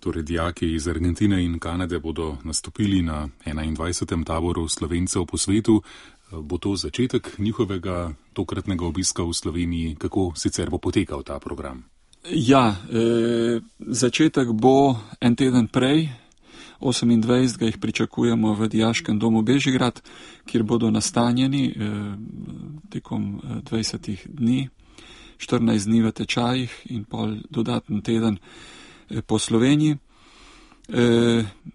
Torej, dijaki iz Argentine in Kanade bodo nastopili na 21. taboru Slovencev po svetu. Bo to začetek njihovega tokratnega obiska v Sloveniji? Kako sicer bo potekal ta program? Ja, začetek bo en teden prej, 28. jih pričakujemo v Dijaškem domu Bežigrad, kjer bodo nastanjeni tekom 20 dni, 14 dni v tečajih in pol dodaten teden po Sloveniji.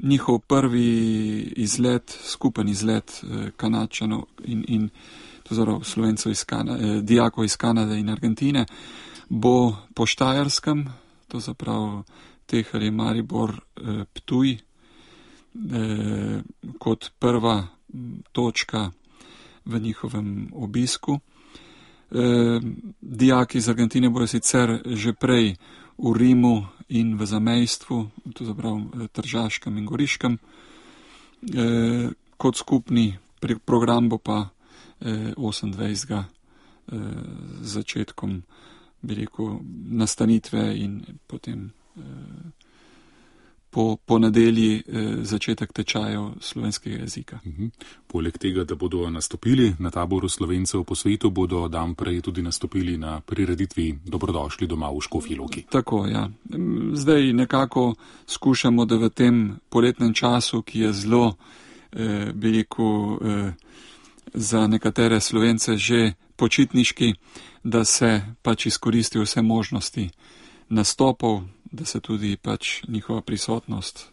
Njihov prvi izlet, skupen izlet Kanadčanov in Slovencev dijakov iz Kanade in Argentine bo po Štajerskem, to zaprav Tehelj, Maribor, Ptuj, kot prva točka v njihovem obisku. Dijaki iz Argentine bodo sicer že prej v Rimu in v zamejstvu, to zaprav Tržaškem in Goriškem. Kot skupni program bo pa 28. začetkom, bi rekel, nastanitve in potem po nedelji začetek tečajev slovenskega jezika. Poleg tega, da bodo nastopili na taboru Slovencev po svetu, bodo dan prej tudi nastopili na prireditvi Dobrodošli doma v Škofji Loki. Tako, ja. Zdaj nekako skušamo, da v tem poletnem času, ki je zelo, bi rekel, za nekatere Slovence že počitniški, da se pač izkoristijo vse možnosti nastopov, da se tudi pač njihova prisotnost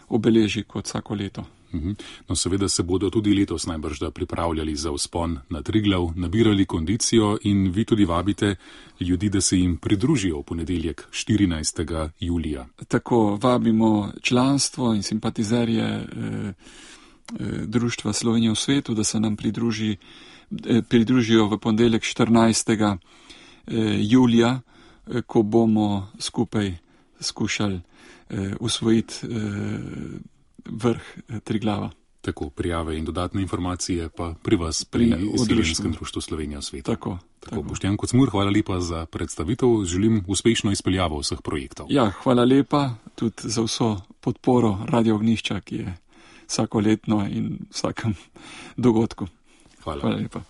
obeleži kot vsako leto. No, seveda se bodo tudi letos najbrž pripravljali za vzpon na Triglav, nabirali kondicijo in vi tudi vabite ljudi, da se jim pridružijo v ponedeljek 14. julija. Tako, vabimo članstvo in simpatizerje Društva Slovenije v svetu, da se nam pridružijo v ponedeljek 14. julija, ko bomo skupaj skušali usvojiti vrh Triglava. Tako, prijave in dodatne informacije pa pri vas, pri Seleninskem društvu Slovenije v svetu. Tako. Boštjan Kocmur, hvala lepa za predstavitev. Želim uspešno izpeljavo vseh projektov. Ja, hvala lepa tudi za vso podporo Radio Ognjišča, ki je vsakoletno in vsakem dogodku. Hvala lepa.